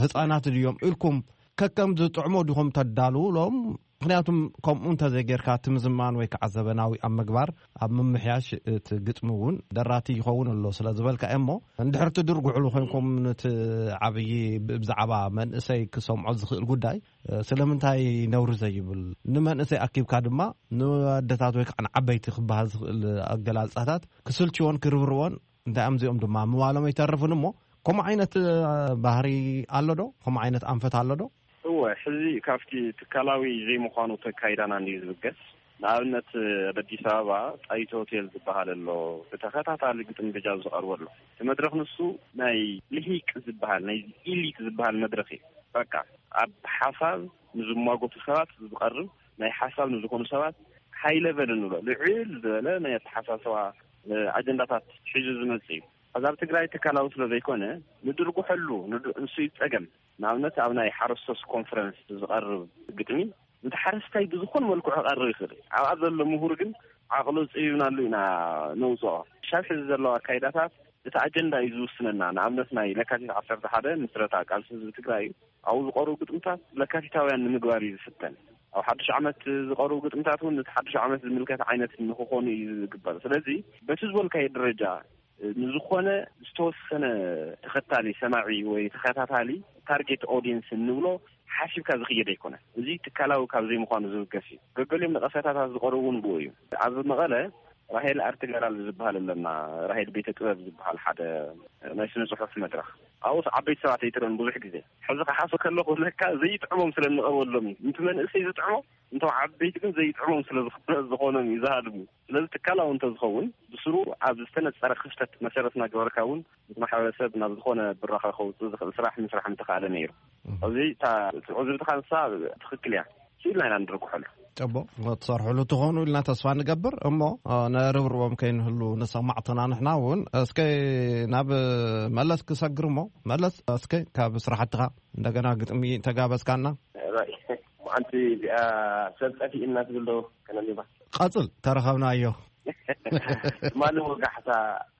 ህፃናት ድዮም? ኢልኩም ከከም ዝጥዕሞ ዲኹም ተዳልውሎም? ምክንያቱም ከምኡ እንተዘይጌርካ፣ እቲ ምዝማን ወይ ከዓ ዘበናዊ ኣብ ምግባር፣ ኣብ ምምሕያሽ እቲ ግጥሚ እውን ደራቲ ይኸውን ኣሎ ስለ ዝበልካ እየ። እሞ እንድሕር ትድርጉሕሉ ኮይንኩም፣ ነቲ ዓብዪ ብ-፣ ብዛዕባ መንእሰይ ክሰምዖ ዝኽእል ጉዳይ፣ ስለምንታይ ነውሪ ዘይብል? ንመንእሰይ ኣኪብካ ድማ ንኣደታት ወይ ከዓ ንዓበይቲ ክበሃል ዝኽእል ኣገላልጻታት ክስልችዎን ክርብርዎን እንታይ እዮም እዚኦም ድማ ምባሎም ኣይተርፍን። እሞ ከምኡ ዓይነት፣ እ፣ ባህሪ ኣሎ ዶ? ከምኡ ዓይነት ኣንፈት ኣሎ ዶ? እወ፣ ሕዚ ካብቲ ትካላዊ ዘይምዃኑ ተካይዳና እንድዩ ዝብገስ። ንኣብነት፣ ኣብ ኣዲስ ኣበባ ጣይቱ ሆቴል ዝበሃል ኣሎ፣ ብተኸታታሊ ግጥሚ ብጃዝ ዝቐርበሉ። እቲ መድረኽ ንሱ ናይ ልሂቅ ዝበሃል፣ ናይ ኢሊት ዝበሃል መድረኽ እዩ። በቃ፣ ኣብ ሓሳብ ንዝሟገቱ ሰባት ዝቐርብ፣ ናይ ሓሳብ ንዝኾኑ ሰባት ሃይ ለቨል እንብሎ፣ ልዕል ዝበለ ናይ ኣተሓሳስባ፣ እ፣ ኣጀንዳታት ሒዙ ዝመጽእ እዩ። ሕዚ ኣብ ትግራይ ትካላዊ ስለ ዘይኮነ፣ ንድርጉሐሉ፣ ንድ-፣ ንሱ እዩ ጸገም። ንኣብነት፣ ኣብ ናይ ሓረስቶስ ኮንፈረንስ ዝቐርብ ግጥሚ፣ ነቲ ሓረስታይ ብዝኾነ መልክዑ ክቐርብ ይኽእል እዩ። ኣብኣ ዘሎ ምሁር ግን ዓቕሉ ጽቢብናሉ ኢና ነውጽኦ። ክሳብ ሕዚ ዘለዋ ኣካይዳታት እቲ ኣጀንዳ እዩ ዝውስነና። ንኣብነት፣ ናይ ለካቲት ዓሰርተ ሓደ ምስረታ ቃልሲ ህዝቢ ትግራይ እዩ። ኣብኡ ዝቐርቡ ግጥምታት ለካቲታውያን ንምግባር እዩ ዝፍተን። ኣብ ሓድሽ ዓመት ዝቐርቡ ግጥምታት እውን ነቲ ሓድሽ ዓመት ዝምልከት ዓይነት ንክኾኑ እዩ ዝግበር። ስለዚ፣ በቲ ዝበልካዮ ደረጃ፣ ንዝኾነ ዝተወሰነ ተኸታሊ፣ ሰማዒ ወይ ተኸታታሊ፣ ታርጌት ኦዲየንስ እንብሎ፣ ሓሲብካ ዝኽየድ ኣይኮነን። እዚ ትካላዊ ካብ ዘይምዃኑ ዝብገስ እዩ። ገገሊኦም ነቐፌታታት ዝቐርቡ እውን ብኡ እዩ። ኣብ መቐለ ራሄል ኣርት ጋላል ዝበሃል ኣለና፣ ራሄል ቤተ ጥበብ ዝበሃል ሓደ ናይ ስነ ጽሑፍ መድረኽ። ኣብኡስ ዓበይቲ ሰባት ኣይትርእን ብዙሕ ግዜ። ሕዚ ክሓሶ ከለኹ ለካ ዘይጥዕሞም ስለ እንቐርበሎም እዩ። ነቲ መንእሰይ ዝጥዕሞ፣ እንቶም ዓበይቲ ግን ዘይጥዕሞም ስለ ዝኾነ፣ ዝኾኖም እዩ ዝሃድሙ። ስለዚ ትካላዊ እንተዝኸውን፣ ብስሩ ኣብ ዝተነጸረ ክፍተት መሰረት እናገበርካ እውን፣ እቲ ማሕበረሰብ ናብ ዝኾነ ብራኸ ከውጽእ ዝኽእል ስራሕ ምስራሕ ምተኻእለ ነይሩ። እም። ኣብዚ እታ፣ እቲ ዕዝብትኻ ንሳ ትኽክል እያ። ስኢልና ኢና ንድርግሐሉ። ጽቡቕ፣ ክትሰርሕሉ ትኾኑ ኢልና ተስፋ ንገብር። እሞ፣ እ፣ ነርብርቦም ከይንህሉ ንሰማዕትና ንሕና እውን። እስከ ናብ መለስ ክሰግር እሞ፣ መለስ፣ እስከ ካብ ስራሕትኻ እንደገና ግጥሚ ተጋበዝካና። ራይ፣ መዓልቲ እዚኣ ሰብ ጠፊእና ትብል ዶ ከነንብባ? ቀጽል፣ ተረኸብናዮ። ትማሊ ወጋሕታ፣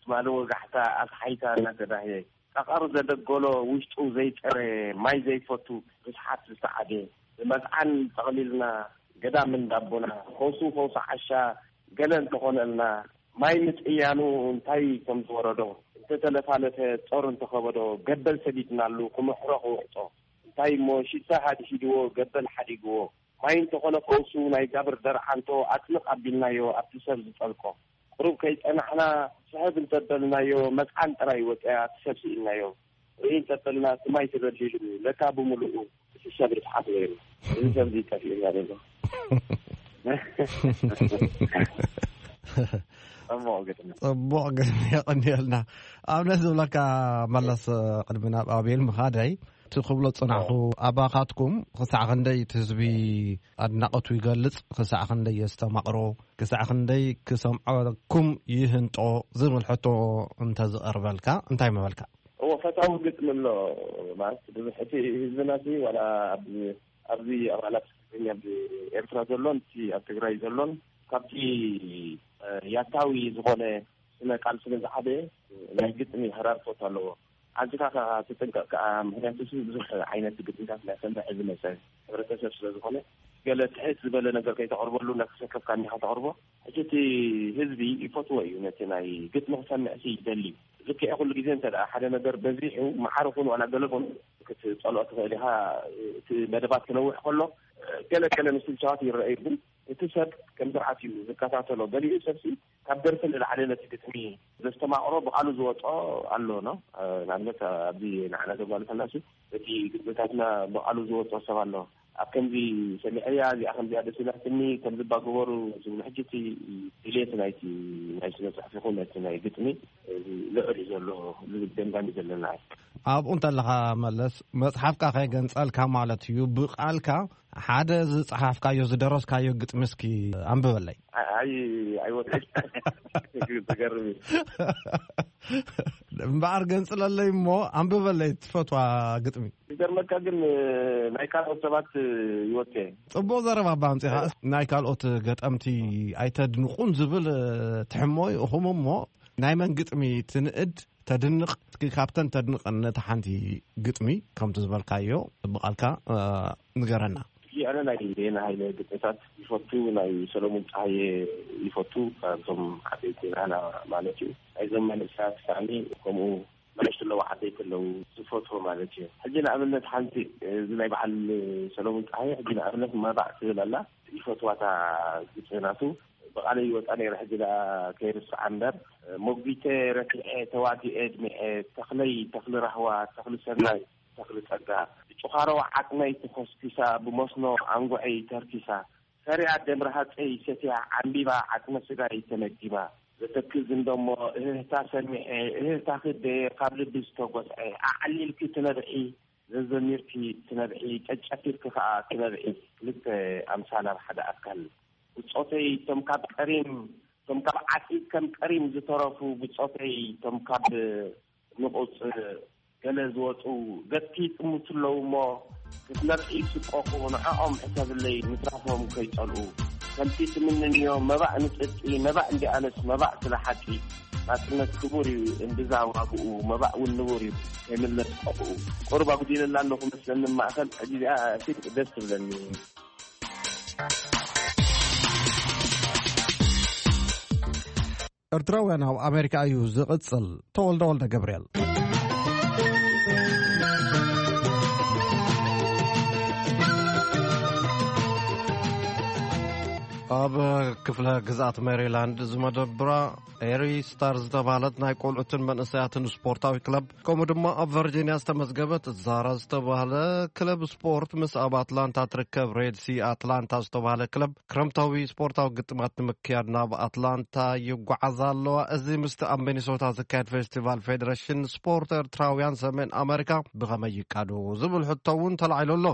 ትማሊ ወጋሕታ ኣስሓይታ እናተዳህየ፣ ጠቐር ዘደገሎ ውሽጡ ዘይጸረ፣ ማይ ዘይፈቱ ርስሓት ዝሰዓደ፣ ብመጽዓን ጠቕሊልና ገዳም እንዳቦና፣ ፈውሱ ፈውሱ ዓሻ ገለ እንተኾነልና፣ ማይ ምጥያኑ እንታይ ከም ዝወረዶ፣ እንተተለፋለፈ ጾር እንተኸበዶ፣ ገበል ሰዲድናሉ ክምሕሮ ክውሕጦ፣ እንታይ እሞ ሽታ ሃድሂድዎ፣ ገበል ሓዲግዎ፣ ማይ እንተኾነ ፈውሱ ናይ ጋብር ደርዓንቶ ኣጥልቕ ኣቢልናዮ ኣብቲ ሰብ ዝጠልቆ። ቁሩብ ከይጸናሕና ስሕብ እንተበልናዮ፣ መጽዓን ጥራይ ወጸያ እቲ ሰብ ስኢልናዮ። ርኢ እንተበልና እቲ ማይ ተበሊሉ፣ ለካ ብምሉኡ እቲ ሰብ ርስሓት ነይሩ። እዚ ሰብ እዚ ጠፊኡና ዘሎ። ጽቡቕ ግጥሚ። ጽቡቕ ግጥሚ፣ የቐንየልና። ኣብነት ዝብለካ መለስ፣ ቅድሚ ናብ ኣቤል ምኻደይ፣ እቲ ክብሎ ጽናሕኩ፣ ኣዎ። ኣባኻትኩም ክሳዕ ክንደይ እቲ ህዝቢ ኣድናቖቱ ይገልጽ፣ ክሳዕ ክንደይ የስተማቕሮ፣ ክሳዕ ክንደይ ክሰምዐኩም ይህንጦ ዝብል ሕቶ እንተዝቐርበልካ እንታይ ምበልካ? እዎ፣ ፈታዊ ግጥሚ ኣሎ ማለት፣ ብዙሕ እቲ ህዝብና ሲ ዋላ ኣብ ኣብዚ ኣባላት ትግርኛ ኣብ ኤርትራ ዘሎን እቲ ኣብ ትግራይ ዘሎን ካብቲ፣ እ፣ ያታዊ ዝኾነ ስነ ቃል ስለ ዝዓበየ ናይ ግጥሚ ህራርቶት ኣለዎ። ኣዚኻ ከኣ ትጥንቀቕ ከኣ፣ ምኽንያቱ እዚ ብዙሕ ዓይነት ግጥምታት ናይ ሰምዕ ዝመጸ ሕብረተሰብ ስለ ዝኾነ፣ ገለ ትሕት ዝበለ ነገር ከይተቕርበሉ እናተሰከፍካ እንዲኻ ተቕርቦ። ሕጂ እቲ ህዝቢ ይፈትዎ እዩ፣ ነቲ ናይ ግጥሚ ክሰምዕ ሲ ይደሊ። ልክዕ ኩሉ ግዜ እንተ ደኣ ሓደ ነገር በዚሑ፣ መዓረ ኹን ዋላ ገለ ኹን ክትጸልኦ ትኽእል ኢኻ። እቲ መደባት ክነውሕ ከሎ፣ ገለ ገለ ምስልቻዋት ይረኣዩ፣ ግን እቲ ሰብ ከም ስርዓት እዩ ዝከታተሎ። ገሊኡ ሰብሲ ካብ ደርፊ ንላዕሊ ነቲ ግጥሚ ዘስተማቕሮ ብቓሉ ዝወጦ ኣሎ ነው። ንኣብነት ኣብዚ ንዓና ዘጓልፈና ሲ እቲ ግጥምታትና ብቓሉ ዝወጦ ሰብ ኣሎ። ኣብ ከምዚ ሰሚዐያ፣ እዚኣ ከምዚኣ ደስ ኢላትኒ፣ ከምዚ እባ ግበሩ ዝብሉ። ሕጂ እቲ ድሌት ናይቲ ናይ ስነ ጽሑፍ ይኹን እቲ ናይ ግጥሚ ልዑል እዩ ዘሎ ዝብል ገምጋም እዩ ዘለና። ኣብኡ እንተለኻ መለስ፣ መጽሓፍካ ከይገንጸልካ ማለት እዩ፣ ብቓልካ ሓደ ዝጸሓፍካዮ ዝደረስካዮ ግጥሚ እስኪ ኣንብበለይ። ኣይ፣ ኣይወድቅን። ትገርም እዩ። እምበኣር ገንጽለለይ እሞ ኣንብበለይ ትፈትዋ ግጥሚ። ዝገርመካ ግን ናይ ካልኦት ሰባት ይወጽእ። ጽቡቕ ዘረባ እባ ኣምጺኻ። ናይ ካልኦት ገጠምቲ ኣይተድንቑን ዝብል ትሕሞ እዩ። እኹም እሞ ናይ መን ግጥሚ ትንእድ ተድንቕ? እስኪ ካብተን ተድንቐን ነታ ሓንቲ ግጥሚ ከምቲ ዝበልካዮ ብቓልካ፣ እ፣ ንገረና። ኣነ ናይ ዜና ሃይለ ግጥምታት ይፈቱ፣ ናይ ሰሎሙን ጸሃየ ይፈቱ፣ ካብቶም ዓበይቲ ናህና ማለት እዩ። ናይዞም መንእሰያት ሳእኒ ከምኡ ንኣሽቱ ኣለዉ፣ ዓበይቲ ኣለዉ ዝፈትዎ ማለት እዩ። ሕጂ ንኣብነት ሓንቲ፣ እዚ ናይ በዓል ሰሎሙን ጸሃየ ሕጂ ንኣብነት መባእ ትብል ኣላ፣ ይፈትዋታ ግጥሚ ናቱ። ብቓለይ ይወጻ ነይረ፣ ሕጂ ደኣ ከይርስዓ እምበር። ሞጒተ ረቲዐ፣ ተዋጊኤ፣ ኣድሚዐ፣ ተኽለይ፣ ተኽሊ ራህዋ፣ ተኽሊ ሰናይ፣ ተኽሊ ጸጋ፣ ብጭዃሮ ዓጽመይ ተኾስኲሳ፣ ብመስኖ ኣንጉዐይ ተርኪሳ፣ ሰሪያ ደም ረሃጸይ ሰትያ፣ ዓምቢባ ዓጽመ ስጋይ ተመጊባ፣ ዘተክዝ እንደሞ እህህታ ሰሚዐ፣ እህህታ ክደ ካብ ልቢ ዝተጎስዐ፣ ኣዕሊልኪ ትነብዒ፣ ዘዘሚርኪ ትነብዒ፣ ጨጨፊርኪ ከኣ ትነብዒ፣ ክልተ ኣምሳል ኣብ ሓደ ኣካል። ብጾተይ፣ እቶም ካብ ቀሪም፣ እቶም ካብ ዓጺድ ከም ቀሪም ዝተረፉ ብጾተይ፣ እቶም ካብ ንቑጽ ገለ ዝወጹ፣ ገጽኪ ይጥምቱ ኣለዉ እሞ፣ ክትነብዒ ይስቀቑ፣ ንዕኦም ሕሰብለይ፣ ምትራፎም ከይጸልኡ። ከምቲ ትምንንዮ፣ መባእ ንጽድቂ፣ መባእ እንዲኣነስ፣ መባእ ስለ ሓቂ። ናጽነት ክቡር እዩ፣ እምብዛ ዋግኡ፣ መባእ እውን ንቡር እዩ፣ ከይምለስ ቀብኡ። ቁሩብ ኣጉዲለላ ኣለኹ መስለኒ ማእከል፣ ሕጂ እዚኣ ፊት ደስ ትብለኒ። ኤርትራውያን ኣብ ኣሜሪካ እዩ ዝቕጽል። ተወልደ ወልደ ገብርኤል። ኣብ ክፍለ ግዝኣት ሜሪላንድ ዝመደብራ ኤሪ ስታር ዝተባህለት ናይ ቆልዑትን መንእሰያትን ስፖርታዊ ክለብ፣ ከምኡ ድማ ኣብ ቨርጂንያ ዝተመዝገበት ዛራ ዝተባህለ ክለብ ስፖርት፣ ምስ ኣብ ኣትላንታ ትርከብ ሬድ ሲ ኣትላንታ ዝተባህለ ክለብ ክረምታዊ ስፖርታዊ ግጥማት ንምክያድ ናብ ኣትላንታ ይጓዓዛ ኣለዋ። እዚ ምስቲ ኣብ ሚኒሶታ ዝካየድ ፌስቲቫል ፌዴሬሽን ስፖርት ኤርትራውያን ሰሜን ኣመሪካ ብኸመይ ይቃዶ ዝብል ሕቶ እውን ተላዒሉ ኣሎ።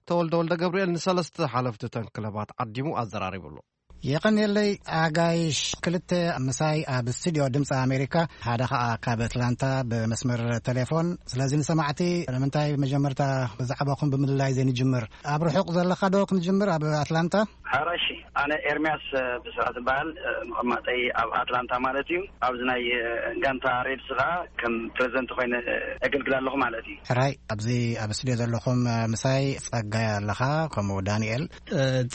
ተወልደ ወልደ ገብርኤል ንሰለስተ ሓለፍቲ እተን ክለባት ዓዲሙ ኣዘራሪቡ ኣሎ። የቐንየለይ ኣጋይሽ። ክልተ ምሳይ ኣብ ስቱዲዮ ድምፂ ኣሜሪካ፣ ሓደ ኸዓ ካብ ኣትላንታ ብመስመር ቴሌፎን። ስለዚ ንሰማዕቲ ንምንታይ መጀመርታ ብዛዕባኹም ብምልላይ ዘይንጅምር? ኣብ ርሑቕ ዘለኻ ዶ ክንጅምር ኣብ ኣትላንታ? ሓራሺ፣ ኣነ ኤርምያስ ብስራት ዝበሃል፣ መቐማጠይ ኣብ ኣትላንታ ማለት እዩ። ኣብዚ ናይ ጋንታ ሬድስ ኸዓ ከም ፕሬዚደንት ኮይነ ኣገልግል ኣለኹ ማለት እዩ። ሕራይ፣ ኣብዚ ኣብ ስቱዲዮ ዘለኹም ምሳይ ጸጋይ ኣለኻ፣ ከምኡ ዳንኤል።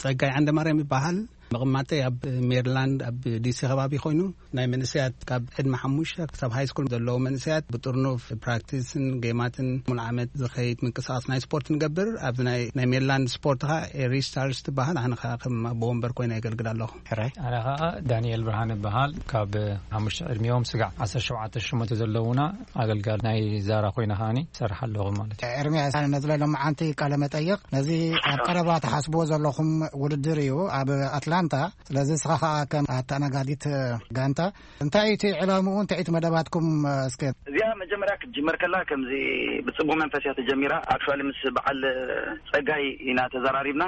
ጸጋይ ዓንደማርያም ይበሃል። መቐማጠይ ኣብ ሜሪላንድ ኣብ ዲሲ ከባቢ ኮይኑ፣ ናይ መንእሰያት ካብ ዕድመ ሓሙሽተ ክሳብ ሃይ ስኩል ዘለዉ መንእሰያት ብጥርኑፍ ፕራክቲስን ጌማትን ሙሉ ዓመት ዝኸይድ ምንቅስቓስ ናይ ስፖርት ንገብር። ኣብዚ ናይ፣ ናይ ሜሪላንድ ስፖርት ኸዓ ኤሪ ስታርስ ትበሃል። ኣነ ኸዓ ከም ኣቦ ወንበር ኮይነ የገልግል ኣለኹ። ሕራይ። ኣነ ኸዓ ዳንኤል ብርሃን እበሃል። ካብ ሓሙሽተ ዕድሚኦም ስጋዕ ዓሰርተ ሸውዓተ ሸሞንተ ዘለዉና ኣገልጋሊ ናይ ዛራ ኮይነ ኸዓኒ እሰርሕ ኣለኹ ማለት እዩ። ኤርምያስ፣ ነዚ ሎማዓንቲ ቃለ መጠይቕ ነዚ ኣብ ቀረባ ትሓስብዎ ዘለኹም ውድድር እዩ ኣብ ኣትላንታ። ስለዚ ንስኻ ኸዓ ከም ኣተኣናጋዲት ጋንታ፣ እንታይ እቲ ዕላምኡ፣ እንታይ እቲ መደባትኩም፣ እስከ? እዚኣ መጀመርያ ክትጅመር ከላ ከምዚ ብጽቡቕ መንፈስ እያ ተጀሚራ። ኣክቹዋሊ ምስ በዓል ጸጋይ ኢና ተዘራሪብና፣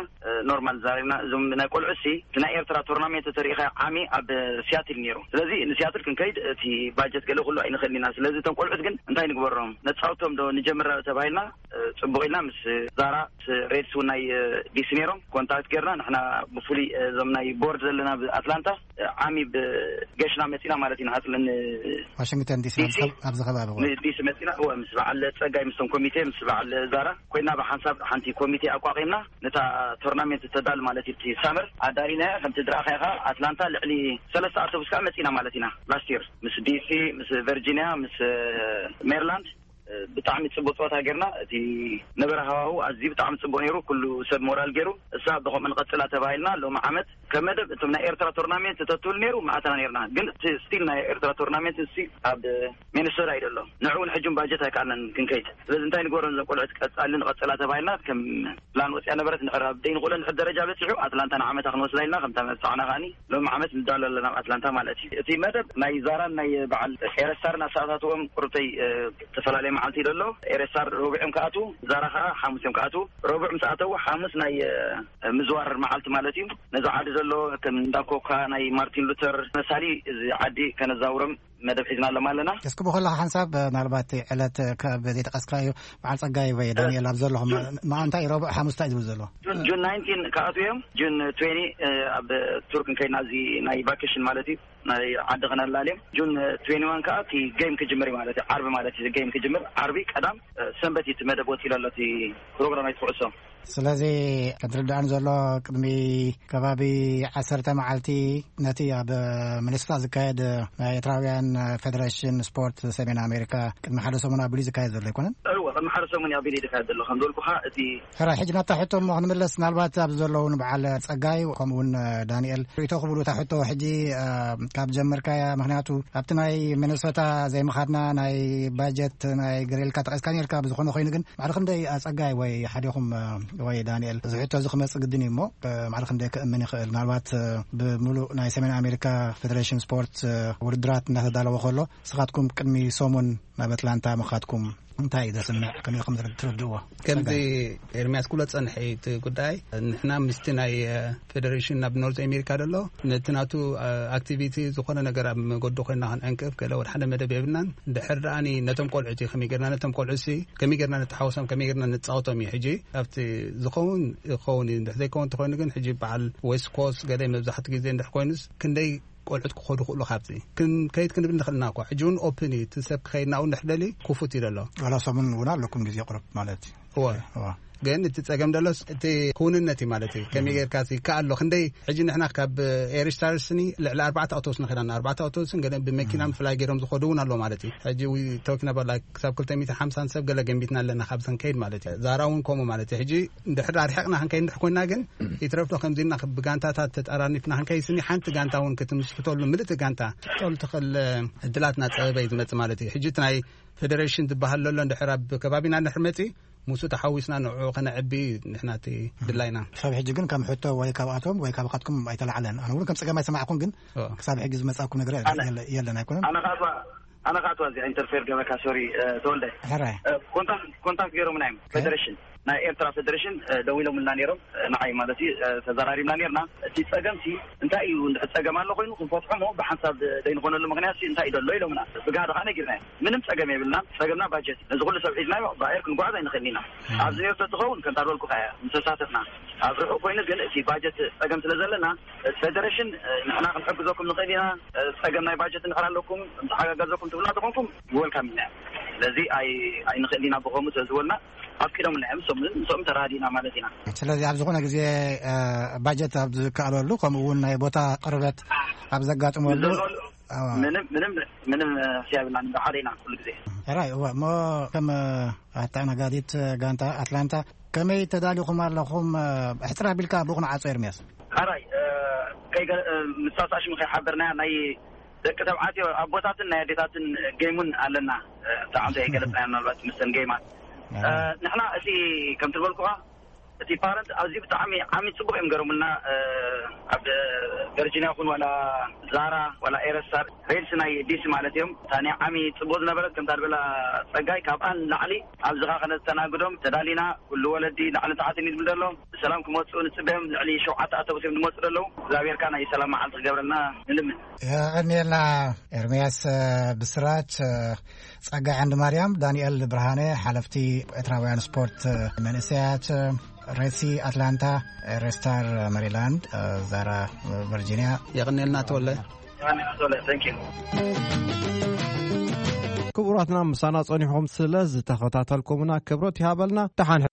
ኖርማል ተዘራሪብና። እዞም ናይ ቆልዑ ሲ እቲ ናይ ኤርትራ ቶርናሜንት ተሪኢኻ ዓሚ ኣብ ሲያትል ነይሩ። ስለዚ ንሲያትል ክንከይድ እቲ ባጀት ገለ ኩሉ ኣይንኽእልን ኢና። ስለዚ እቶም ቆልዑት ግን እንታይ ንግበሮም? ነጻውቶም ዶ ንጀምር ተባሂልና ጽቡቕ ኢልና ምስ ዛራ፣ ምስ ሬድስ እውን ናይ ዲሲ ነይሮም ኮንታክት ጌርና። ንሕና ብፍሉይ እዞም ናይ ቦርድ ዘለና ኣብ ኣትላንታ ዓሚ ብገሽና መጺና ማለት ኢና። ኣጽልን ዋሽንግተን ዲሲ ኣብዚ ከባቢ ዲሲ መጺና፣ እወ፣ ምስ በዓል ጸጋይ፣ ምስቶም ኮሚቴ፣ ምስ በዓል ዛራ ኮይና ብሓንሳብ ሓንቲ ኮሚቴ ኣቋቒምና ነታ ቶርናሜንት ተዳል ማለት እዩ። እቲ ሳመር ኣዳሊና ከምቲ ዝረኣኻዮ ከዓ ኣትላንታ ልዕሊ ሰለስተ ኣውቶቡስ ከዓ መጺና ማለት ኢና። ላስት ይር ምስ ዲሲ፣ ምስ ቨርጂኒያ፣ ምስ ሜሪላንድ ብጣዕሚ ጽቡቅ ጸወታ ጌርና። እቲ ነበረ ሃዋሁ ኣዝዩ ብጣዕሚ ጽቡቅ ነይሩ። ኩሉ ሰብ ሞራል ገይሩ። እሳ ብኸምኡ ንቐጽላ ተባሂልና። ሎሚ ዓመት ከም መደብ እቶም ናይ ኤርትራ ቶርናሜንት ተትብል ነይሩ ምኣተና ነይርና። ግን እቲ ስቲል ናይ ኤርትራ ቶርናሜንት እሲ ኣብ ሚኒሶታ እዩ ዘሎ። ንዕኡ ንሕጂ ባጀት ኣይከኣልናን ክንከይድ። ስለዚ እንታይ ንግበሮ ነዞም ቆልዑት ቀጻሊ ንቐጽላ ተባሂልና ከም ፕላን ወጽያ ነበረት። ንዕራ ደይ ንኽእሎ ንሕድ ደረጃ በጺሑ ኣትላንታ ንዓመታ ክንወስዳ ኢልና ከምታ መብጻዕና ከኣኒ ሎም ዓመት ንዳሎ ኣለና ኣብ ኣትላንታ ማለት እዩ። እቲ መደብ ናይ ዛራን ናይ በዓል ኤረስታርን ኣሰኣታትዎም ቁርብተይ ዝተፈላለየ መዓልቲ እዩ ዘሎ። ኤረስታር ረቡዕ እዮም ክኣትዉ፣ ዛራ ከዓ ሓሙስ እዮም ክኣትዉ። ረቡዕ ምስ ኣተዉ ሓሙስ ናይ ምዝዋር መዓልቲ ማለት እዩ። ነዚ ዓዲ ዘሎ ከም እንዳ ኮካ ናይ ማርቲን ሉተር መሳሊ እዚ ዓዲ ከነዛውሮም መደብ ሒዝና ኣለማ ኣለና። እስኪ ብኸለኻ ሓንሳብ ምናልባት ዕለት ካብ ዘይጠቀስካዮ በዓል ጸጋይ ወይ ዳንኤል ኣብ ዘለኹም መዓንታይ ረቡዕ ሓሙስታ እዩ ዝብል ዘሎ። ጁን ናይንቲን ክኣትዉ እዮም። ጁን ትዌኒ ኣብ ቱርክ እንከይድና እዚ ናይ ቫኬሽን ማለት እዩ ናይ ዓዲ ከነላልዮም። ጁን ትዌኒ ዋን ከዓ እቲ ጌም ክጅምር እዩ ማለት እዩ። ዓርቢ ማለት እዩ ጌም ክጅምር። ዓርቢ ቀዳም ሰንበት እዩ እቲ መደብ ወፂሉ ኣሎ እቲ ፕሮግራም ኣይትኩዕሶ። ስለዚ ከምትርዳእኒ ዘሎ ቅድሚ ከባቢ ዓሰርተ መዓልቲ ነቲ ኣብ ሚኒሶታ ዝካየድ ናይ ኤርትራውያን ፌደሬሽን ስፖርት ሰሜን ኣሜሪካ ቅድሚ ሓደ ሰሙን ኣቢሉ ዝካየድ ዘሎ ኣይኮነን? እወ፣ ቅድሚ ሓደ ሰሙን እዩ ኣቢሉ ዝካየድ ዘሎ። ከም ዝበልኩኻ እቲ ሕራይ ሕጂ ናብታ ሕቶ እሞ ክንምለስ፣ ምናልባት ኣብዚ ዘለዉ ንበዓል ጸጋይ ከምኡ እውን ዳንኤል ርእይቶ ክብሉ እታ ሕቶ ሕጂ ካብ ጀመርካያ፣ ምክንያቱ ኣብቲ ናይ ሚኒሶታ ዘይምኻድና ናይ ባጀት ናይ ገለ ኢልካ ጠቒስካ ነርካ። ብዝኾነ ኮይኑ ግን ማዕረ ክንደይ ኣጸጋይ ወይ ሓዲኹም ወይ ዳንኤል እዚ ሕቶ እዚ ክመጽእ ግድን እዩ እሞ ማዕረ ክንደይ ክእምን ይኽእል? ምናልባት ብምሉእ ናይ ሰሜን ኣሜሪካ ፌደሬሽን ስፖርት ውድድራት እናተዳለወ ከሎ ንስኻትኩም ቅድሚ ሰሙን ናብ ኣትላንታ ምኻድኩም እንታይ እዩ ዘስምዕ? ከመይ ከም ትርድእዎ? ከምዚ ኤርሚያስ ክብሎ ዝጸንሐ እዩ እቲ ጉዳይ። ንሕና ምስቲ ናይ ፌደሬሽን ናብ ኖርዝ ኣሜሪካ ደሎ ነቲ ናቱ ኣክቲቪቲ ዝኾነ ነገር ኣብ መገዱ ኮይና ክንዕንቅፍ ገለ ወደ ሓደ መደብ የብልናን። ድሕር ደኣኒ ነቶም ቆልዑ እቲ ከመይ ጌርና ነቶም ቆልዑ ሲ ከመይ ጌርና ንተሓወሶም ከመይ ጌርና ንጻወቶም እዩ። ሕጂ ኣብቲ ዝኸውን ይኸውን እዩ። እንድሕ ዘይከውን እንተኮይኑ ግን ሕጂ በዓል ዌስት ኮስት ገለ መብዛሕትኡ ግዜ እንድሕ ኮይኑስ ክንደይ ቆልዑት ክኸዱ ክእሉ ካብዚ ክንከይድ ክንብል ንኽእልና እኳ ሕጂ እውን ኦፕን እዩ። እቲ ሰብ ክኸይድና እውን ድሕደሊ ክፉት እዩ ዘሎ። ዋላ ሰሙን እውን ኣለኩም ግዜ ቁርብ ማለት እዩ። እወ። እወ። ግን እቲ ጸገም ደሎስ እቲ ክውንነት እዩ ማለት እዩ። ከመይ ጌርካ ይከኣል ኣሎ? ክንደይ ሕጂ ንሕና ካብ ኤሪስታርስኒ ልዕሊ ኣርባዕተ ኣውቶቡስ ንኸዳና ኣርባዕተ ኣውቶቡስን ገለ ብመኪና ምፍላይ ገይሮም ዝኸዱ እውን ኣሎ ማለት እዩ። ሕጂ ዊ ቶኪን ኣባላ ክሳብ ክልተ ሚእቲ ሓምሳን ሰብ ገለ ገንቢትና ኣለና ካብ ዘንከይድ ማለት እዩ። ዛራ እውን ከምኡ ማለት እዩ። ሕጂ እንድሕር ኣርሒቕና ክንከይድ እንድሕ ኮይና ግን ይትረፍዶ ከምዚ ኢልና ብጋንታታት ተጠራኒፍና ክንከይድ ስኒ ሓንቲ ጋንታ እውን ክትምስክተሉ ምልእቲ ጋንታ ክትጠሉ ትኽእል ዕድላት እናፀበበ እዩ ዝመፅእ ማለት እዩ። ሕጂ እቲ ናይ ፌደሬሽን ዝበሃል ዘሎ እንድሕር ኣብ ከባቢና እንድሕር መፂ ምስኡ ተሓዊስና ንዕኡ ከነዕቢ ንሕና እቲ ድላይና። ክሳብ ሕጂ ግን ከም ሕቶ ወይ ካብኣቶም ወይ ካብኻትኩም ኣይተላዕለን። ኣነ እውን ከም ፀገም ኣይሰማዕኩን፣ ግን ክሳብ ሕጂ ዝመፃኩም ነገር የለን ኣይኮነን? ኣነ ከኣትዋ ኣነ ከኣትዋ እዚኣ ኢንተርፌር ገበካ ሶሪ ተወልደ። ሕራይ። ኮንታክት ኮንታክት ገይሮምና እዮም ፌደሬሽን ናይ ኤርትራ ፌደሬሽን ደዊሎምልና ነይሮም ንዓይ ማለት እዩ። ተዘራሪብና ነርና። እቲ ጸገምሲ እንታይ እዩ? እንድሕር ጸገም ኣሎ ኮይኑ ክንፈትሖ ሞ ብሓንሳብ ዘይንኾነሉ ምኽንያት እንታይ ደሎ ኢሎምና። ብጋህዲ ከዓ ነጊርና ምንም ጸገም የብልና። ጸገምና ባጀት። ነዚ ኩሉ ሰብ ሒዝናዮ ብኣየር ክንጓዓዝ ኣይንኽእልን ኢና። ኣብዚ ነርቶ ትኸውን ከምታ ዝበልኩ ከያ ምተሳተፍና ኣብ ርሑቕ ኮይኑ ግን እቲ ባጀት ጸገም ስለ ዘለና ፌደሬሽን ንሕና ክንሕግዘኩም ንኽእል ኢና። ጸገም ናይ ባጀት እንድሕር ኣለኩም እንተሓጋገዘኩም ትብልና ተኾንኩም ወልካም ኢና። ስለዚ ኣይንኽእል ኢና ብኸምኡ ስለ ዝበልና ኣፍቂዶምና እዮም። እሶም ምስኦም ተራዲእና ማለት ኢና። ስለዚ ኣብ ዝኾነ ግዜ ባጀት ኣብ ዝከኣለሉ ከምኡ እውን ናይ ቦታ ቅርበት ኣብ ዘጋጥመሉ ምንም ምንም ምንም ሕስያ የብልናን። ሓደ ኢና ኩሉ ግዜ። ሕራይ እወ። እሞ ከም ኣተኣናጋዲት ጋንታ ኣትላንታ ከመይ ተዳሊኹም ኣለኹም? ሕፅር ኣቢልካ ብኡ ንዓጾ ኤርምያስ። ሕራይ ምሳሳሽም ከይሓበርና ናይ ደቂ ተባዕትዮ ኣቦታትን ናይ ኣዴታትን ጌም እውን ኣለና። ብጣዕሚ ዘይገለፅና ምናልባት ምስተን ጌማት ንሕና እቲ ከም ትበልኩኻ እቲ ፓረንት ኣዝዩ ብጣዕሚ ዓሚ ጽቡቕ እዮም ገረሙልና። ኣብ ቨርጂኒያ ኹን ዋላ ዛራ ዋላ ኤረስታር ሬድስ ናይ ዲሲ ማለት እዮም። እታ ናይ ዓሚ ጽቡቕ ዝነበረት ከምታ ዝበላ ጸጋይ ካብኣን ላዕሊ ኣብዝኻ ከነስተናግዶም ተዳሊና። ኩሉ ወለዲ ላዕሊ ታሕትን እዩ ዝብል ዘሎ። ብሰላም ክመፁ ንፅበዮም። ልዕሊ ሸውዓተ ኣተቡስ እዮም ዝመፁ ዘለዉ። እግዚኣብሔር ናይ ሰላም መዓልቲ ክገብረልና ንልምን። የቐንየልና። ኤርምያስ ብስራት፣ ጸጋይ ዓንዲ ማርያም፣ ዳንኤል ብርሃነ፣ ሓለፍቲ ኤርትራውያን ስፖርት መንእሰያት፣ ሬሲ ኣትላንታ፣ ሬስታር ሜሪላንድ፣ ዛራ ቨርጂኒያ። የቐንየልና ተወለ። ክቡራትና፣ ምሳና ጸኒሕኩም ስለ ዝተኸታተልኩምና ክብረት ይሃበልና። ደሓን